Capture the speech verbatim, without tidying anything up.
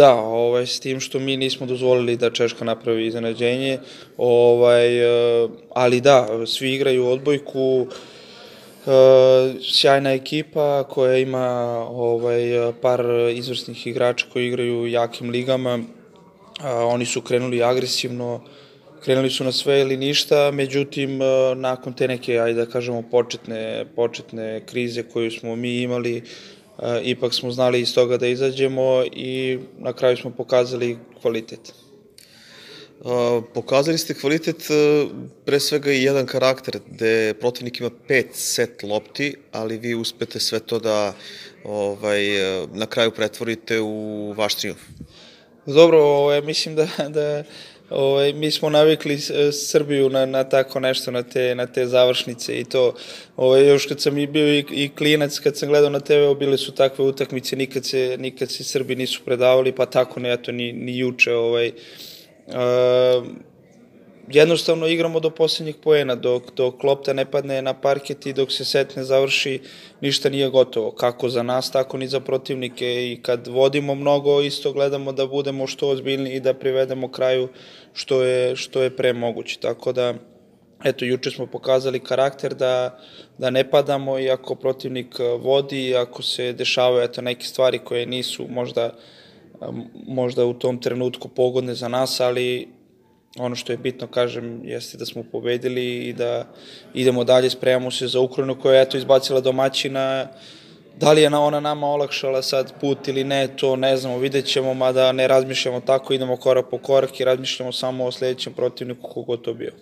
Da, ovaj, s tim što mi nismo dozvolili da Češka napravi iznenađenje, ovaj, e, ali da, svi igraju odbojku, e, sjajna ekipa koja ima ovaj, par izvrsnih igrača koji igraju u jakim ligama, a, oni su krenuli agresivno, krenuli su na sve ili ništa, međutim, e, nakon te neke, ajde da kažemo, početne, početne krize koju smo mi imali, e, ipak smo znali iz toga da izađemo i na kraju smo pokazali kvalitet. A, pokazali ste kvalitet, e, pre svega i jedan karakter, gde protivnik ima pet set lopti, ali vi uspete sve to da ovaj, e, na kraju pretvorite u vaš trijumf. Dobro, ovaj, mislim da, da ovaj, mi smo navikli s- Srbiju na, na tako nešto, na te, na te završnice i to. Ovaj, još kad sam i bio i, i klinac, kad sam gledao na te ve, bile su takve utakmice, nikad se, nikad se Srbi nisu predavali, pa tako ne, eto, ni, ni juče. Ovaj, uh, jednostavno igramo do posljednjih poena, dok, dok lopta ne padne na parket i dok se set ne završi, ništa nije gotovo. Kako za nas, tako ni za protivnike i kad vodimo mnogo, isto gledamo da budemo što ozbiljniji i da privedemo kraju što je, što je pre moguće. Tako da, eto, juče smo pokazali karakter da, da ne padamo i ako protivnik vodi i ako se dešavaju eto, neke stvari koje nisu možda, možda u tom trenutku pogodne za nas, ali ono što je bitno, kažem, jeste da smo pobedili i da idemo dalje, spremamo se za Ukrajinu koja je eto izbacila domaćina. Da li je na ona nama olakšala sad put ili ne, to ne znamo, vidjet ćemo, mada ne razmišljamo tako, idemo korak po korak i razmišljamo samo o sledećem protivniku kogod to bio.